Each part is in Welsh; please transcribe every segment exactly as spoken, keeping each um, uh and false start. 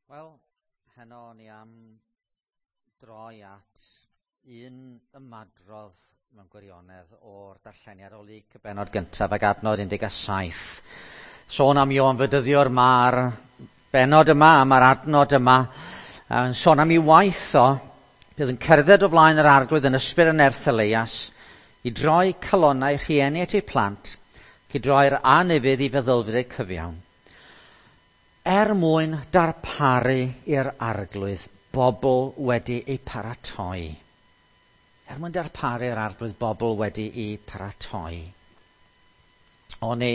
Wel, heno ni am droi at un ymadrodd mewn gwirionedd o'r darlleniad o Luc y bennod gyntaf ac adnod un deg saith. Sôn am Ioan Fedyddiwr, mae'r bennod yma, mae'r adnod yma, yn sôn am ei waith o, bydd yn cerdded o flaen yr Arglwydd yn ysbryd yn nerth Eleias, i droi calonnau rhieni at eu plant, ac i droi'r anufudd i feddylfryd eu cyfiawn, er mwyn darparu i'r Arglwydd bobl wedi eu paratoi. Er mwyn darparu i'r Arglwydd bobl wedi eu paratoi. O'n i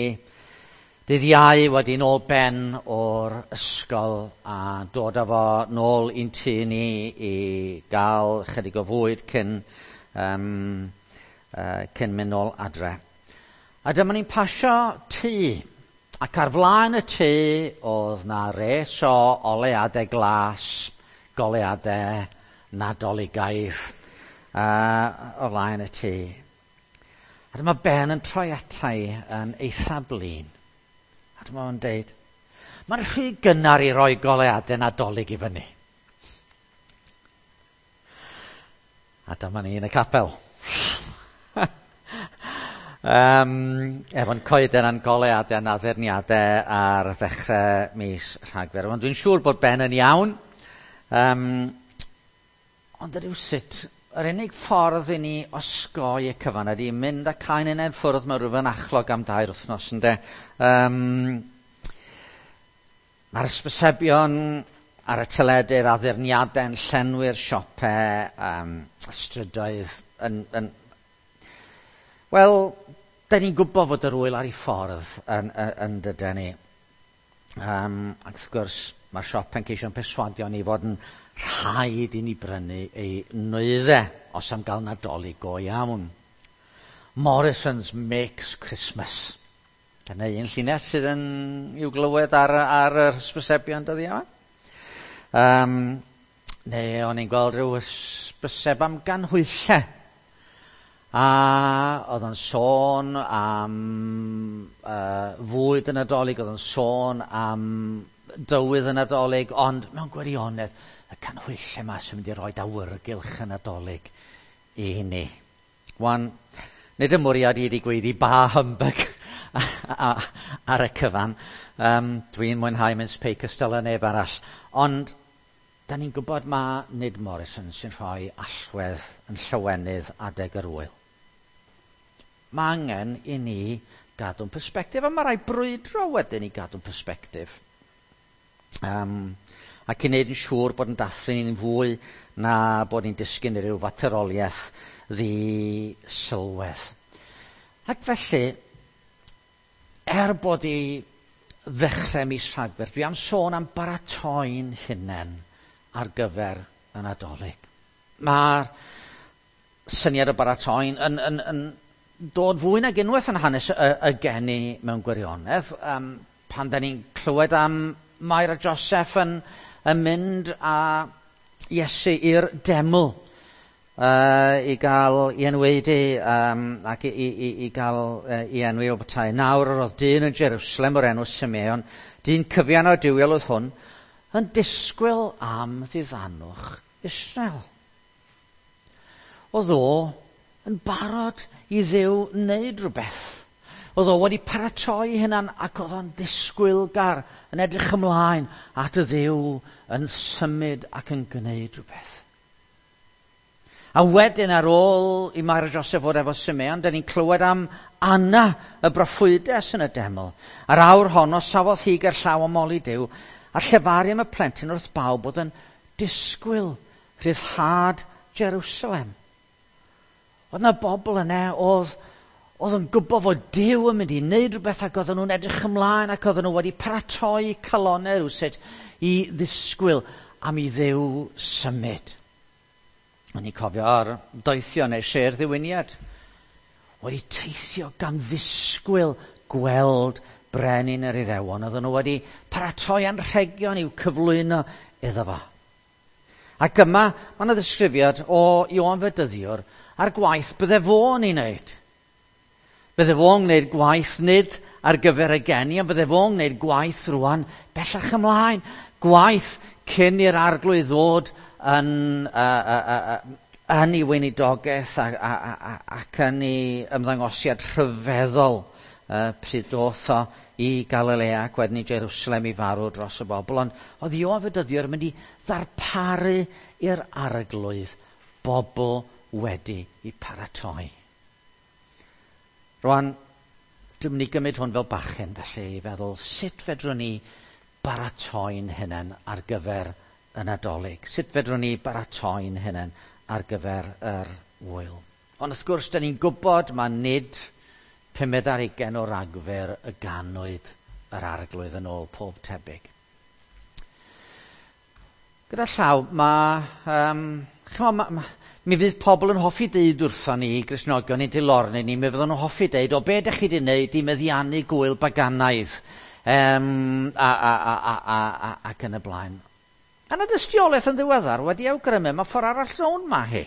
dydd Iau wedi nôl Ben o'r ysgol a dod â fo nôl i'n tŷ ni i gael chydig o fwyd cyn, um, uh, cyn mynd nôl adre. A dyma ni'n pasio tŷ. Ac ar flaen y tŷ oedd na res o oleuadau glas, goleuadau nadoligaidd uh, o flaen y tŷ. A dyma Ben yn troi ata i yn eitha blin. A dyma fo'n deud, mae'n rhy gynnar i roi goleuadau nadolig i fyny. A dyma ni yn y capel. Um, efo'n coeden a'n goleuadau a'n addurniadau ar ddechrau mis Rhagfyr. Ond dwi'n siŵr bod Ben yn iawn. Um, ond rywsut, yr unig ffordd i ni osgoi y cyfan ydy mynd a cael ein hunain ffwrdd mewn rhyw fynachlog am dair wythnos, ynde. Um, mae'r hysbysebion ar y teledu'r addurniadau yn llenwi'r siopau, um, strydoedd yn, yn Wel, da ni'n gwybod fod yr wyl ar ei ffordd yn, yn, yn dydyn ni. Um, ac wrth gwrs, mae'r siop yn ceisio'n perswadio ni fod yn rhaid i ni brynu ei nwyddau os am gael Nadolig go iawn. Morrison's makes Christmas. Dyna un llinell sydd yn i'w glywed ar, ar yr hysbysebion dyddiau yma. Um, neu o'n i'n gweld rhyw hysbyseb am ganhwyllau. A oedd o'n sôn am uh, fwyd y Nadolig, oedd o'n sôn am dywydd y Nadolig, ond mewn gwirionedd, y canhwyllau yma sy'n mynd i roi awyrgylch y Nadolig i ni. Wan, nid y mwriad i wedi gweiddi ba humbug ar y cyfan. Um, dwi'n mwynhau mince pie cystal â neb arall. Ond da ni'n gwybod ma nid Morrison sy'n rhoi allwedd yn llawenydd adeg yr wyl. Mae angen i ni gadw'n persbectif, a mae rhaid brwydro wedyn i gadw'n persbectif. Um, ac i wneud yn siŵr bod yn dathlu ni'n fwy na bod ni'n disgyn i ryw fateroliaeth ddi-sylwedd. Ac felly, er bod i ddechrau mis Rhagfyr, dwi am sôn am baratoi'n hunain ar gyfer y Nadolig. Mae'r syniad o baratoi'n yn, yn, yn dod fwy nag unwaith yn hanes y, y geni mewn gwirionedd. Um, pan da ni'n clywed am Mair a Joseph yn, yn mynd â Iesu i'r deml uh, i gael ei enwedu um, ac i, i, i gael uh, ei enwi o bethau. Nawr yr oedd dyn yn Jerusalem o'r enw Simeon, dyn cyfiawn a duwiol oedd hwn, yn disgwyl am ddiddanwch Israel. Oedd o yn barod i Dduw wneud rhywbeth. Oedd o wedi paratoi hunan ac oedd o'n ddisgwylgar yn edrych ymlaen at y Dduw yn symud ac yn gwneud rhywbeth. A wedyn ar ôl i Mair a Joseph fod efo Simeon, da ni'n clywed am Anna, y broffwydes yn y deml. A'r awr honno safodd hi ger llaw am moli Duw, a llefaru am y plentyn wrth bawb oedd yn disgwyl rhyddhad Jerusalem. Oedd yna bobl yna oedd, oedd yn gwybod fod Duw yn mynd i wneud rhywbeth ac oedden nhw'n edrych ymlaen ac oedden nhw wedi paratoi calonnau rywsut i ddisgwyl am i Dduw symud. O'n i'n cofio ar doethio neu sêr ddiwyniad. Wedi teithio gan ddisgwyl gweld brenin yr Iddewon. Oedden nhw wedi paratoi anrhegion i'w cyflwyno iddo fo. Ac yma, mae yna ddisgrifiad o Ioan Fedyddiwr a'r gwaith bydde fo'n ei wneud. Bydde fo'n gwneud gwaith nid ar gyfer y geni, ond bydde fo'n gwneud gwaith rwan bellach ymlaen. Gwaith cyn i'r Arglwydd ddod yn, uh, uh, uh, yn ei weinidogaeth a, a, a, ac yn ei ymddangosiad rhyfeddol uh, pryd doth o i Galilea ac wedyn i Jerusalem i farw dros y bobl. Ond oedd Ioan Fedyddiwr yn mynd i ddarparu i'r Arglwydd bobl wedi i paratoi. Rwan, dwi'n mynd i gymryd hwn fel bachgen felly i feddwl sut fedrwn ni baratoi'n hunain ar gyfer y Nadolig. Sut fedrwn ni baratoi'n hunain ar gyfer yr ŵyl. Ond wrth gwrs, da ni'n gwybod mae nid pumed ar hugain o Ragfyr y ganwyd yr Arglwydd yn ôl pob tebyg. Gyda llaw, mae... Um, chymod, ma, ma, mi fydd pobl yn hoffi deud wrthon ni, Gristnogion, ni'n dilorni ni, mi fydden nhw'n hoffi deud, o be ydych chi wedi wneud i meddiannu gwyl baganaidd, um, a, a, a, a, a, a, ac yn y blaen. A na dystiolaeth yn ddiweddar wedi awgrymu, mae ffordd arall rownd ma hi.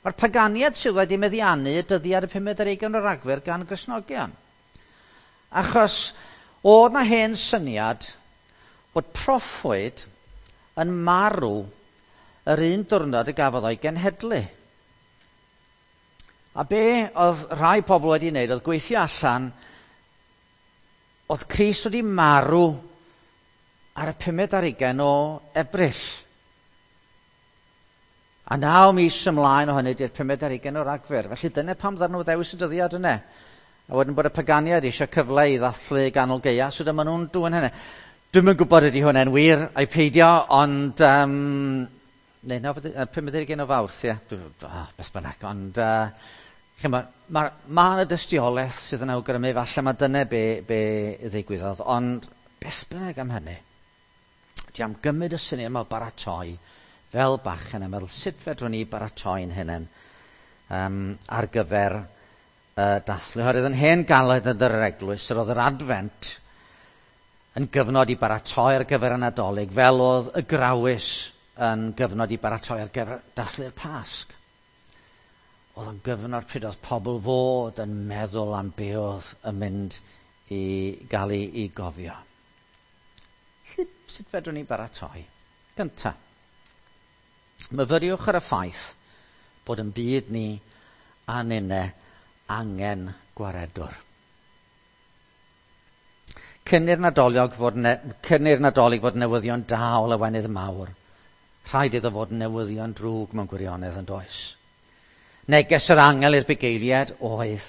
Mae'r paganiad sydd wedi meddiannu y dyddiad y pumed ar hugain o Ragfyr gan Gristnogion. Achos oedd na hen syniad bod proffwyd yn marw yr un diwrnod y gafodd o'i genhedlu. A be oedd rhai pobl wedi wneud oedd gweithio allan oedd Crist wedi marw ar y pumed ar hugain o Ebrill. A naw mis ymlaen o hynny di'r pumed ar hugain o Ragfyr. Felly dyna pam ddaru nhw ddewis y dyddiad yna. A wedyn bod y paganiad eisiau cyfle i ddathlu ganol gaea, so dyma nhw'n dwyn hynny. Dwi'm yn gwybod ydy hwnna'n wir ai peidio, ond... Um, neu, no, pumed ar hugain o Fawrth, ie. Oh, beth bynnag, ond... Uh, Mae ma, ma yna dystiolaeth sydd yn awgrymu, falle mae dyna be, be ddigwyddodd, ond beth bynnag am hynny, dwi am gymryd y syniad yma o baratoi fel bachgen a meddwl sut fedrwn ni baratoi'n hunain um, ar gyfer uh, dathlu. Oherwydd yn hen galed yn yr eglwys, yr oedd yr Adfent yn gyfnod i baratoi ar gyfer y Nadolig, fel oedd y Grawys yn gyfnod i baratoi ar gyfer dathlu'r Pasg. Oedd yn gyfnod pryd oedd pobl fod yn meddwl am be oedd yn mynd i gael ei, ei gofio. Sut, sut fedrwn ni baratoi? Gynta, myfyriwch ar y ffaith bod yn byd ni a ninne angen gwaredwr. Cyn i'r Nadolig fod, ne, cyn i'r Nadolig fod newyddion da o lawenydd mawr, rhaid iddo fod newyddion drwg mewn gwirionedd yn does. Neges yr angel i'r bugeiliad oedd,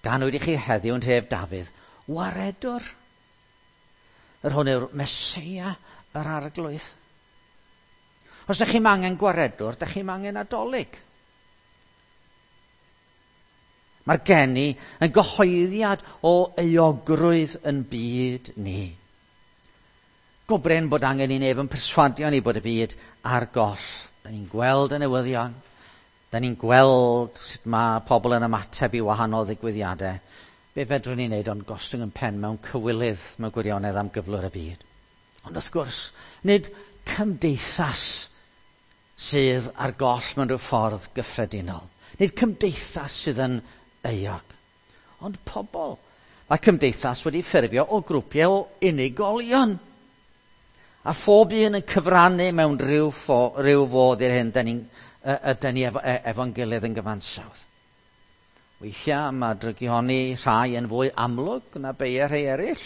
ganwyd i chi heddiw yn nhref Dafydd, waredwr. Yr hwn yw'r Meseia yr Arglwydd. Os ydych chi'n angen gwaredwr, ydych chi'n angen Nadolig. Mae'r geni yn gyhoeddiad o euogrwydd yn byd ni. Go brin bod angen i neb yn perswadio ni bod y byd ar goll. Da ni'n gweld y newyddion. Da ni'n gweld sut mae pobl yn ymateb i wahanol ddigwyddiadau. Be fedrwn ni wneud ond gostwng yn pen mewn cywilydd mewn gwirionedd am gyflwr y byd. Ond wrth gwrs, nid cymdeithas sydd ar goll mewn rhyw ffordd gyffredinol. Nid cymdeithas sydd yn euog, ond pobl. Mae cymdeithas wedi ffurfio o grwpiau o unigolion. A phob un yn cyfrannu mewn rhyw, ffo, rhyw fodd i'r hyn da ni'n ydyn ni efo, efo'n gilydd yn gyfansawdd. Weithiau mae drygihoni rhai yn fwy amlwg na beia rhai eraill.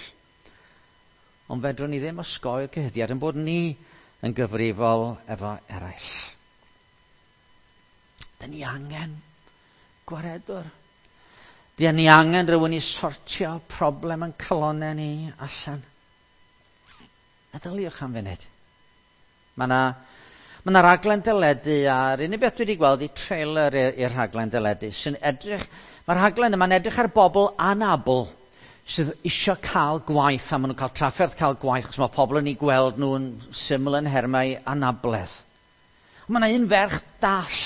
Ond fedrwn ni ddim osgoi'r cyhuddiad yn bod ni yn gyfrifol efo eraill. Dyn ni angen gwaredwr. Dyn ni angen rhywun i sortio problem yn calonau ni allan. Meddyliwch am funud. Mae yna Mae yna raglen deledu, a'r unig beth dwi wedi gweld i trailer i'r rhaglen deledu sy'n edrych, mae'r rhaglen yma'n edrych ar bobl anabl sydd eisiau cael gwaith, a maen nhw'n cael trafferth cael gwaith, achos mae pobl yn ei gweld nhw'n syml yn nhermau anabledd. Mae yna un ferch dall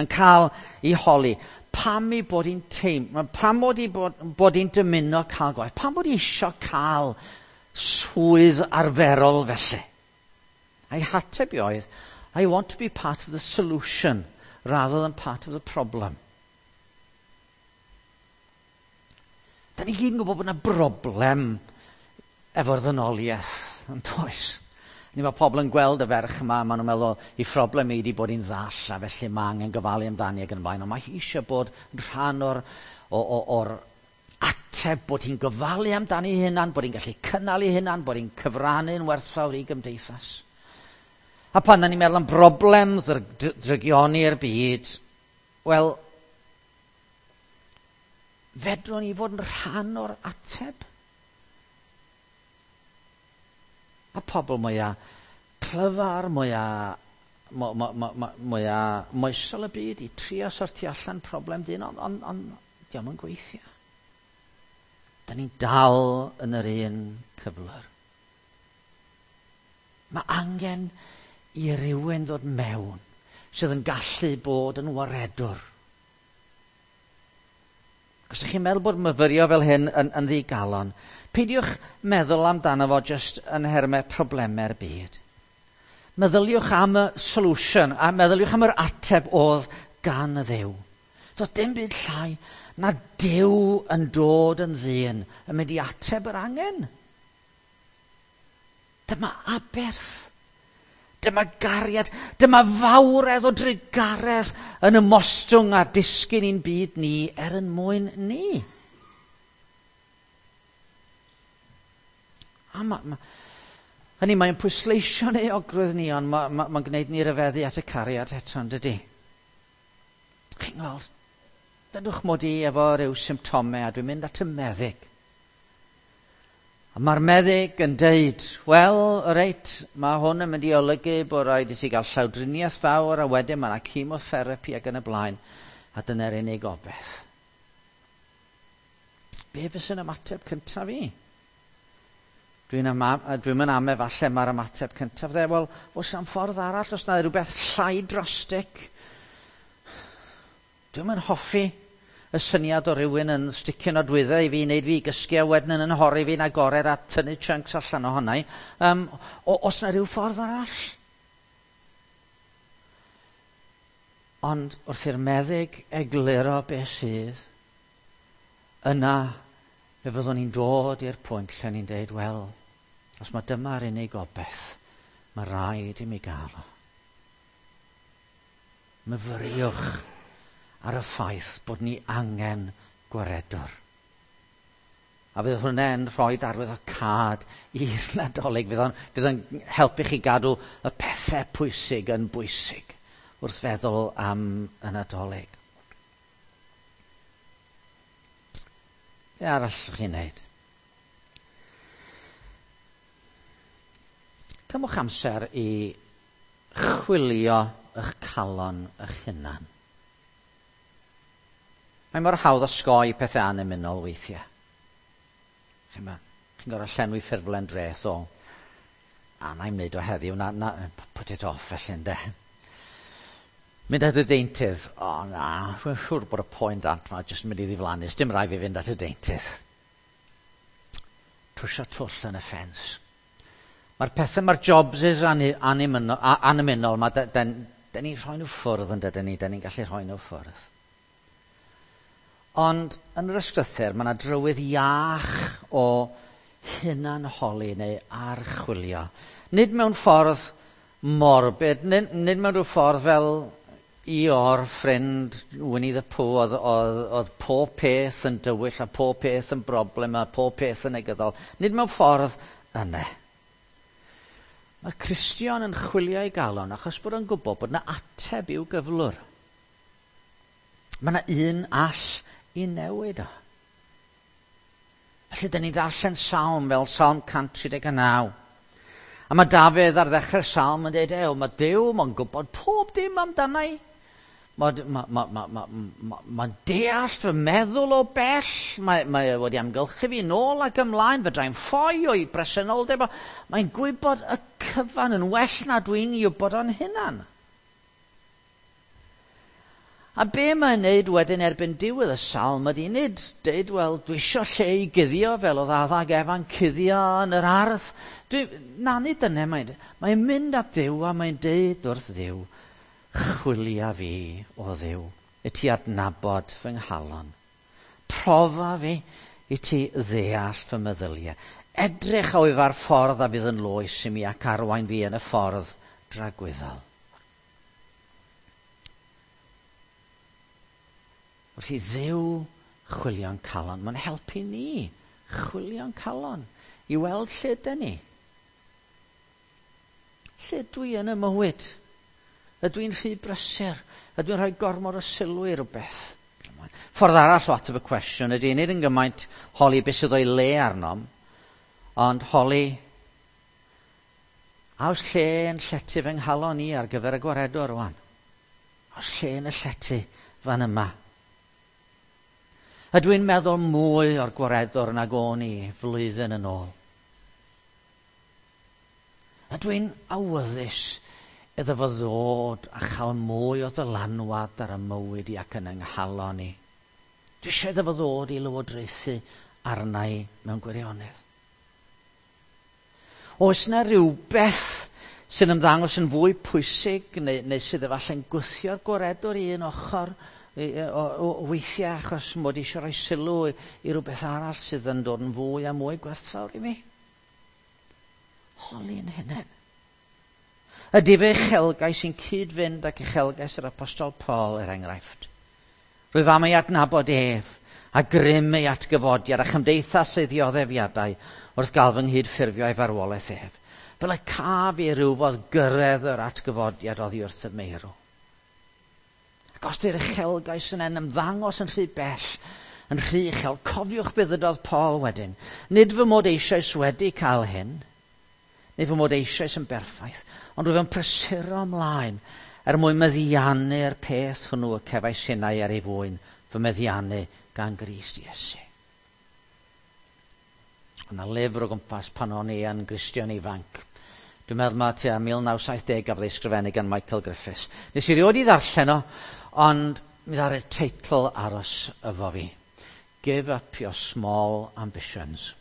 yn cael ei holi, pam i bod hi'n teimlo, pam bod hi bod, bod hi'n dymuno cael gwaith, pam bod hi eisiau cael swydd arferol felly? A'i hateb i oedd, I want to be part of the solution rather than part of the problem. Da ni gyd yn gwybod bod yna broblem efo'r ddynoliaeth, yn does? Ni mae pobl yn gweld y ferch yma, maen nhw'n meddwl, i phroblem i wedi bod hi'n ddall, a felly mae angen gofalu amdani ac yn y blaen. Ond mae hi eisiau bod yn rhan o'r, o, o, o'r ateb bod hi'n gofalu amdani hunan, bod hi'n gallu cynnal ei hunan, bod hi'n cyfrannu'n werthfawr i gymdeithas. A pan da ni'n meddwl am broblem drygioni'r byd, wel, fedrwn ni fod yn rhan o'r ateb? A pobl mwyaf clyfar, mwyaf mwyaf moesol y byd i trio sortio allan problem dyn, ond on, on, dio'm yn gweithio. Da ni'n dal yn yr un cyflwr. Mae angen i rywun ddod mewn sydd yn gallu bod yn waredwr. Os ydych chi'n meddwl bod myfyrio fel hyn yn, yn ddigalon, peidiwch meddwl amdano fo jyst yn nhermau problemau'r byd. Meddyliwch am y solution, a meddyliwch am yr ateb oedd gan y Dduw. Doedd dim byd llai na Duw yn dod yn ddyn yn mynd i ateb yr angen. Dyma aberth. Dyma gariad, dyma fawredd o drugaredd yn ymostwng a disgyn i'n byd ni er yn mwyn ni. A ma, ma, hynny, mae'n pwysleisio'n euogrwydd ni, ond mae'n ma, ma gwneud ni ryfeddu at y cariad eto, yn dydy? Chi'n gweld, dydwch mod i efo ryw symptomau a dwi'n mynd at y meddyg. A mae'r meddyg yn deud, wel, reit, mae hwn yn mynd i olygu bod rhaid i ti gael llawdriniaeth fawr a wedyn mae yna chemotherapy ac yn y blaen, a dyna'r unig obaith. Be fysa'n ymateb cyntaf i? Dwi'n dwi yn ame falle mae'r ymateb cyntaf dde, wel, oes am ffordd arall, os na rhywbeth llai drastic? Dwi'm yn hoffi y syniad o rywun yn sticio nodwyddau i fi, wneud fi gysgu a wedyn yn nhorri fi'n agored a tynnu chunks allan ohona i. Um, o, os na rhyw ffordd arall? Ond wrth i'r meddyg egluro beth sydd, yna fe fyddwn ni'n dod i'r pwynt lle ni'n deud, wel, os mae dyma'r unig obaith, mae rhaid i mi gael o. Myfyriwch ar y ffaith bod ni angen gwaredwr. A fydd hwnna'n rhoi arwydd o cad i'r Nadolig. Fydd o'n, fydd o'n helpu chi gadw y pethau pwysig yn bwysig wrth feddwl am y Nadolig. Be arall chi'n neud? Cymwch amser i chwilio eich calon eich hunan. Mae mor hawdd osgoi pethau annymunol weithiau. Chi'n chi gorfod llenwi ffurflen dreth o, a na i'm wneud o heddiw, na, na, put it off felly ynde. Mynd at y deintydd, o na, dwi'n siŵr bod y poen dant ma jyst yn mynd i ddiflannu, dim rhaid fi fynd at y deintydd. Trwsio twll yn y ffens. Mae'r pethau, mae'r jobs annymunol, ma, den, den ni'n rhoi nhw ffwrdd yn dydyn ni, den ni'n gallu rhoi nhw ffwrdd. Ond yn yr ysgrythur, mae yna drywydd iach o hunanholi neu archwilio. Nid mewn ffordd morbid, nid, nid mewn rhyw ffordd fel i o'r ffrind Winnie the Pooh, oedd, oedd, oedd pob peth yn dywyll a pob peth yn broblem a pob peth yn negyddol. Nid mewn ffordd yna. Mae Cristion yn chwilio ei galon achos bod o'n gwybod bod yna ateb i'w gyflwr. Mae yna un all i newid o. Felly, dyn ni'n darllen salm fel Salm cant tri deg naw. A mae Dafydd ar ddechrau'r salm yn dweud, ew, mae Duw, mae'n gwybod pob dim amdana i. Mae'n ma, ma, ma, ma, ma, ma deall fy meddwl o bell. Mae, mae wedi amgylchu fi nôl ac ymlaen, fedrai'n ffoi o'i bresenoldeb. Mae'n gwybod y cyfan yn well na dwi'n i wybod o'n hunan. A be mae'n neud wedyn erbyn diwedd y salm ydy nid deud, wel, dwi isio lle i guddio fel oedd Adda ac Efa'n cuddio yn yr ardd. Dwi, na, nid dyna mae'n mae'n mynd at Dduw a mae'n deud wrth Dduw, chwilia fi o Dduw, i ti adnabod fy nghalon. Profa fi i ti ddeall fy meddyliau. Edrych a wyf ar ffordd a fydd yn loes i mi ac arwain fi yn y ffordd dragwyddol. Wrth i Dduw chwilio'n calon, mae'n helpu ni chwilio'n calon i weld lle ydyn ni. Lle dwi yn y mywyd? Ydw i'n rhy brysur? Ydw i'n rhoi gormod o sylw i rywbeth? Ffordd arall o ateb y cwestiwn ydy nid yn gymaint holi beth sydd o'i le arnom, ond holi a oes lle yn llety fy nghalon i ar gyfer y gwaredwr rwan? Oes lle yn y llety fan yma? Ydw i'n meddwl mwy o'r gwaredwr nag o'n i flwyddyn yn ôl? Ydw i'n awyddus iddo fo ddod a chael mwy o ddylanwad ar y mywyd i ac yn yng nghalon i? Dwi eisiau iddo fo ddod i lywodraethu arna i mewn gwirionedd. Oes yna rhywbeth sy'n ymddangos yn fwy pwysig neu, neu sydd efallai'n gwthio'r gwaredwr i un ochr o, o, o weithiau achos mod i eisiau rhoi sylw i, i rhywbeth arall sydd yn dod yn fwy a mwy gwerthfawr i mi? Holi'n hunain. Ydy fe uchelgais sy'n cyd-fynd ac uchelgais yr Apostol Paul, er enghraifft? Rwyf am ei adnabod ef, a grym ei atgyfodiad a chymdeithas ei ddioddefiadau wrth gael fy nghyd-ffurfio ei farwolaeth ef, fel y caf i rywfodd gyrraedd yr atgyfodiad oddi wrth y meirw. Ac os di'r uchelgais yna'n ymddangos yn rhy bell, yn rhy uchel, cofiwch beth ddydodd Paul wedyn. Nid fy mod eisoes wedi cael hyn, neu fy mod eisoes yn berffaith, ond rwyf yn prysuro ymlaen er mwyn meddiannu'r peth hwnnw y cefais innau ar ei fwyn, fy meddiannu gan Grist Iesu. Yna lyfr o gwmpas pan o'n i yn Gristion ifanc. Dwi'n meddwl mae tua mil naw saith deg gafodd ei ysgrifennu gan Michael Griffiths. Nes i rioed i ddarllen o, ond mi ddaru'r teitl aros efo fi. Give up your small ambitions.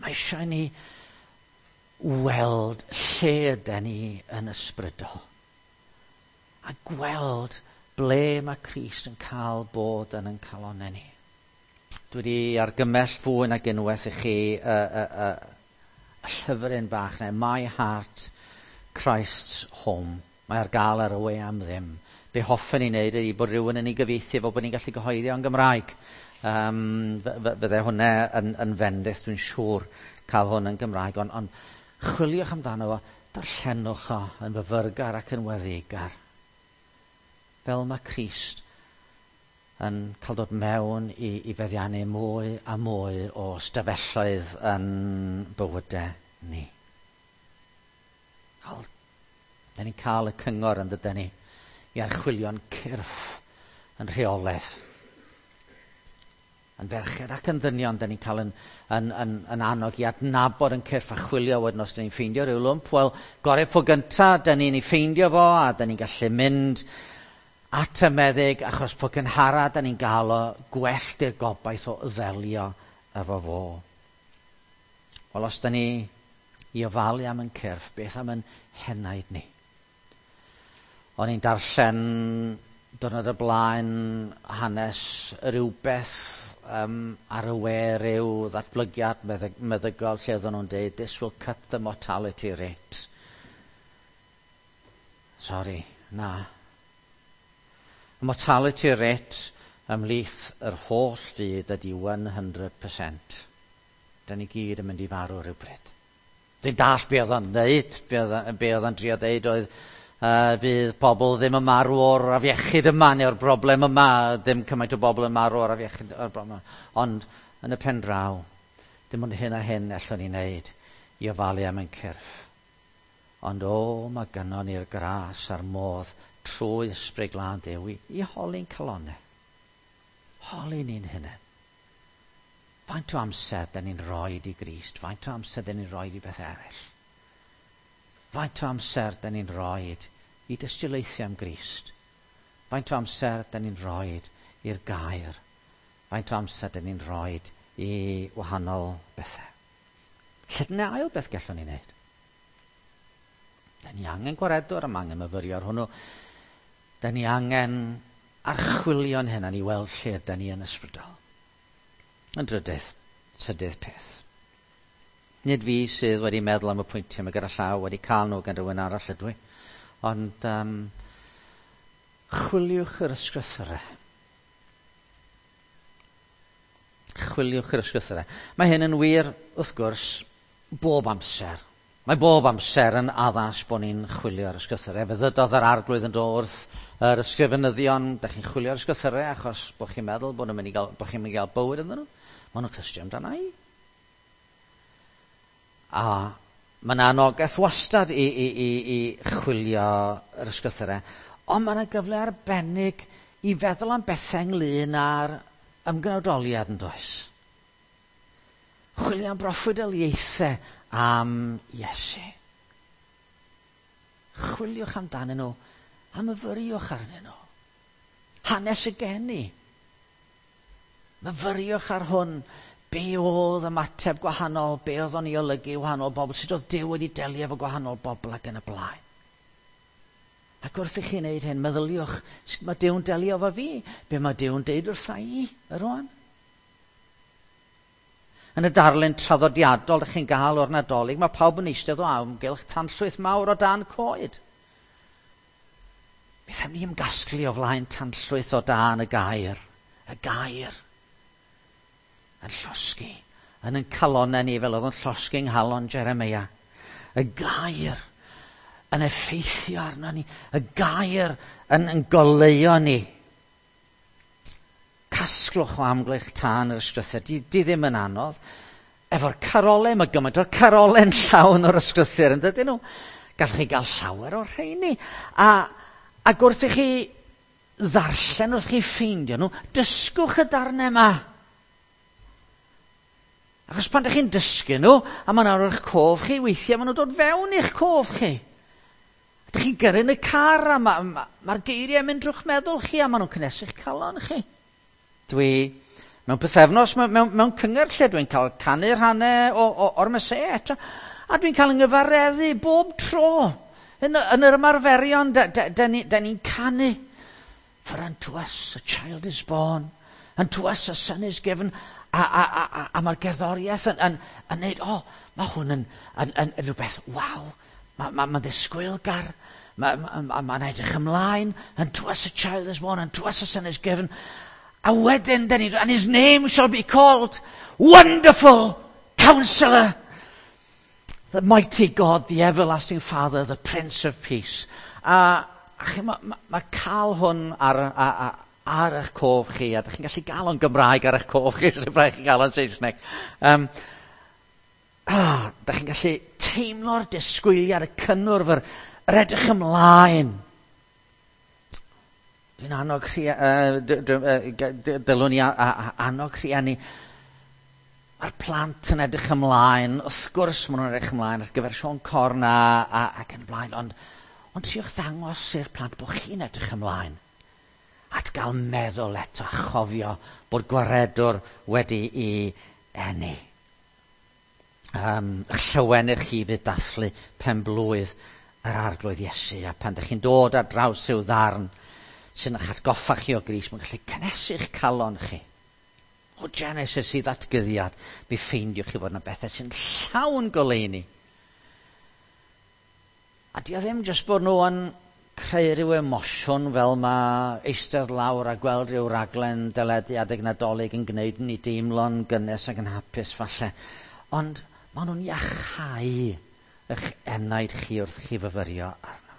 Mae eisiau ni weld lle yden ni yn ysbrydol. A gweld ble mae Crist yn cael bod yn ein calonnau ni. Dwi wedi argymell fwy nag unwaith i chi y, y, y, y llyfryn bach neu My Heart, Christ's Home. Mae ar gael ar y we am ddim. Be hoffen ni wneud ydy bod rhywun yn ei gyfieithu fel bod ni'n gallu gyhoeddi o'n Gymraeg. Um, fydde hwnna yn, yn fendith, dwi'n siŵr, cael hwn yn Gymraeg. Ond on, chwiliwch amdano fo, darllenwch o yn fyfyrgar ac yn weddigar. Fel mae Crist yn cael dod mewn i, i feddiannu mwy a mwy o stafelloedd yn bywydau ni. Wel, da ni'n cael y cyngor yn dydyn ni i archwilio'n cyrff yn rheolaeth. Yn ferched ac yn ddynion, da ni'n cael yn, yn, yn, yn annog i adnabod yn cyrff a chwilio wedyn os da ni'n ffeindio rhyw lwmp. Wel, gorau po gynta, da ni'n ei ffeindio fo a da ni'n gallu mynd at y meddyg, achos po gynhara da ni'n gael o gwell di'r gobaith o ddelio efo fo. Wel, os da ni i ofalu am yn cyrff, beth am yn henaid ni? O'n i'n darllen diwrnod y blaen hanes rhywbeth um, ar y we, rhyw ddatblygiad meddyg, meddygol lle oedden nhw'n dweud, this will cut the mortality rate. Sorry, na. Y mortality rate ymhlith yr holl fyd ydy one hundred percent. Da ni gyd yn mynd i farw rhywbryd. Dwi'n dallt be oedd o'n dweud, be oedd o'n drio dweud oedd uh, fydd pobl ddim yn marw o'r afiechyd yma neu'r broblem yma, ddim cymaint o bobl yn marw o'r afiechyd o'r broblem yma. Ond yn y pen draw, dim ond hyn a hyn allwn ni wneud i ofalu am ein cyrff. Ond o, mae gynnon ni'r gras a'r modd trwy Ysbryd Glân Duw i, i holi'n calonnau. Holi ni'n hunain. Faint o amser da ni'n rhoi i Grist? Faint o amser da ni'n rhoi i beth eraill? Faint o amser da ni'n rhoi i dystiolaethu am Grist? Faint o amser da ni'n rhoi i'r gair? Faint o amser da ni'n rhoi i wahanol bethau? Lle dyna ail beth gallwn ni wneud? Da ni angen gwaredwr, am angen myfyrio ar hwnnw. Da ni angen Archwilio'n hynny i weld lle ydy ni yn ysbrydol. Yn drydydd, trydydd peth. Nid fi sydd wedi meddwl am y pwyntiau yma gyda llaw, wedi cael nhw gan rhywun arall ydw i. Ond um, chwiliwch yr ysgrythurau. Chwiliwch yr ysgrythurau. Mae hyn yn wir, wrth gwrs, bob amser. Mae bob amser yn addas bod ni'n chwilio'r ysgrythurau. Fe ddydodd yr arglwydd yn dod wrth yr ysgrifenyddion, da chi'n chwilio'r ysgrythurau achos bod chi'n meddwl bod nhw'n mynd i gael, bod chi'n mynd i gael bywyd ynddyn nhw. Maen nhw'n tystio amdana i. A mae yna anogaeth wastad i, i, i, i chwilio yr ysgrythurau, ond mae yna gyfle arbennig i feddwl am bethau ynglyn â'r ymgnawdoliad yn does. Chwilio am broffwydoliaethau am Iesu. Chwiliwch amdanyn nhw, a myfyriwch arnyn nhw. Hanes y geni. Myfyriwch ar hwn, be oedd ymateb gwahanol, be oedd o'n ei olygu wahanol bobl, sut oedd Duw wedi delio efo gwahanol bobl ac yn y blaen. Ac wrth i chi wneud hyn, meddyliwch, sut mae Duw'n delio efo fi? Be mae Duw'n deud wrtha i, rwan? Yn y darlun traddodiadol ydych chi'n gael o'r Nadolig, mae pawb yn eistedd o amgylch tanllwyth mawr o dan coed. Beth am ni ymgasglu o flaen tanllwyth o dan y gair? Y gair yn llosgi, yn yn calonau ni fel oedd yn llosgi yng nghalon Jeremia. Y gair yn effeithio arno ni, y gair yn, yn goleuo ni. Casglwch o amgylch tân yr ysgrythur, di, di ddim yn anodd. Efo'r carolau, mae gymaint o'r carolau'n llawn o'r ysgrythur, yn dydyn nhw? Gallwch chi gael llawer o'r rheini. A, ac wrth i chi ddarllen, wrth i chi ffeindio nhw, dysgwch y darnau yma. Achos pan ydych chi'n dysgu nhw, a maen nhw'n eich cof chi, weithiau maen nhw'n dod fewn i'ch cof chi. Ydych chi'n gyrru yn y car, a mae'r ma, ma geiriau yn mynd drwy'ch meddwl chi, a maen nhw'n cynnesu'ch calon chi. Dwi, mewn pythefnos, mewn, mewn, mewn cyngor lle dwi'n cael canu rhannau o, o, o'r Meseia eto, a dwi'n cael yng bob tro. Yn, yn yr ymarferion, da, da, da, ni, da ni'n canu. For unto us a child is born, unto us a son is given. A, a, a, a, a mae'r gerddoriaeth yn, yn, yn neud, o, oh, mae hwn yn, yn, yn, yn rhywbeth, waw, mae'n ma, ma ddisgwylgar, mae'n ma, ma, ma edrych ymlaen, unto us a child is born, unto us a son is given. A wedyn, dyn ni, and his name shall be called Wonderful Counselor, the Mighty God, the Everlasting Father, the Prince of Peace. A, a chi, mae ma, ma cael hwn ar, a, a, ar eich cof chi, a ydych chi'n gallu gael o'n Gymraeg ar eich cof chi, sy'n rhaid chi gael o'n Saesneg. Um, ah, ydych chi'n gallu teimlo'r disgwyliad, y cynnwrf, yr, yr edrych ymlaen. Dwi'n annog rhia, uh, dylwn i a, a, a, annog rhieni. Mae'r plant yn edrych ymlaen, wrth gwrs maen nhw'n edrych ymlaen ar gyfer Siôn Corn a, a, ac yn y blaen, ond, ond triwch ddangos i'r plant bod chi'n edrych ymlaen at gael meddwl eto a chofio bod gwaredwr wedi i eni. Um, llywennych chi fydd dathlu pen blwydd yr arglwydd Iesu, a pan ydych chi'n dod ar draws i'w ddarn sy'n eich atgoffa chi o Grist, mae'n gallu cynnesu'ch calon chi. O Genesis i ddatguddiad, mi ffeindiwch chi fod yna bethau sy'n llawn goleuni. A di o ddim jyst bod nhw yn creu rhyw emosiwn fel mae eistedd lawr a gweld rhyw raglen deledu adeg Nadolig yn gwneud ni deimlo'n gynnes ac yn hapus falle. Ond maen nhw'n iachau eich enaid chi wrth chi fyfyrio arno.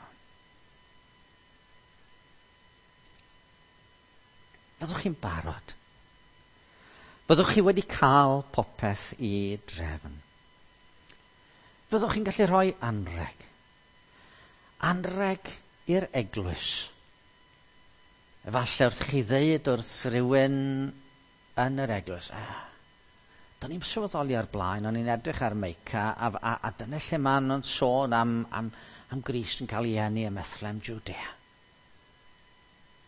Byddwch chi'n barod. Byddwch chi wedi cael popeth i drefn. Byddwch chi'n gallu rhoi anreg. Anreg i'r eglwys. Efallai wrth chi ddeud wrth rhywun yn yr eglwys, ah, do'n i'n sylweddoli ar blaen, o'n i'n edrych ar Meica, a, a, a dyna lle maen nhw'n sôn am, am, am Grist yn cael ei eni ym Methlehem, Judea.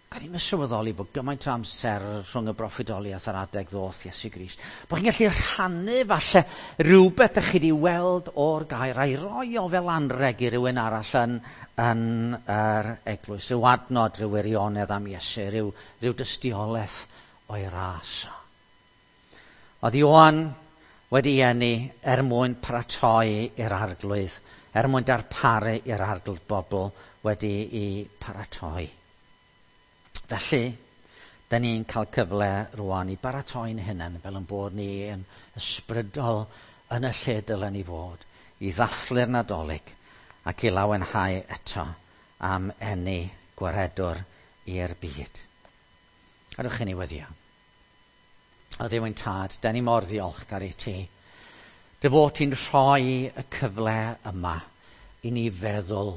Gan i'n sylweddoli bod gymaint o amser rhwng y broffwydoliaeth a'r adeg ddoth Iesu Grist. Bod chi'n gallu rhannu falle rhywbeth ydych chi wedi weld o'r gair a'i roi o fel anreg i rywun arall yn, yn yr eglwys. Rhyw adnod, rhyw wirionedd am Iesu, rhyw, rhyw dystiolaeth o'i ras. Oedd Ioan wedi eni er mwyn paratoi i'r arglwydd, er mwyn darparu i'r arglwydd bobl wedi i paratoi. Felly, da ni'n cael cyfle rwan i baratoi'n hunain fel yn bod ni yn ysbrydol yn y lle dylen ni fod, i ddathlu'r Nadolig ac i lawenhau eto am eni gwaredwr i'r byd. Gadewch i ni weddïo. O Dduw ein tad, da ni mor ddiolchgar i ti. Dy fod ti'n rhoi y cyfle yma i ni feddwl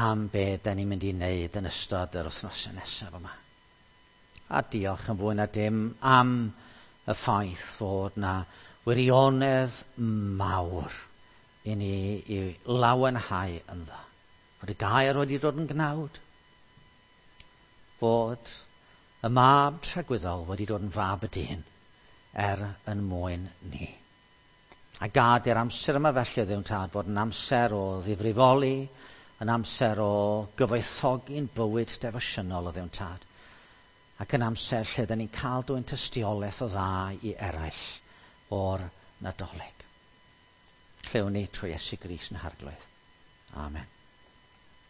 am be da ni'n mynd i wneud yn ystod yr wythnosau nesaf yma. A diolch yn fwy na dim am y ffaith fod na wirionedd mawr i ni i lawenhau ynddo. Fod y gair wedi dod yn gnawd. Fod y mab tragwyddol wedi dod yn fab y dyn er yn mwyn ni. A gad i'r amser yma felly, Dduw Tad, fod yn amser o ddifrifoli, yn amser o gyfoethogi'n bywyd defosiynol o Dduw Tad, ac yn amser lle dyn ni'n cael dwyn tystiolaeth o dda i eraill o'r Nadolig. Clywn ni trwy Iesu Grist yn Harglwydd. Amen.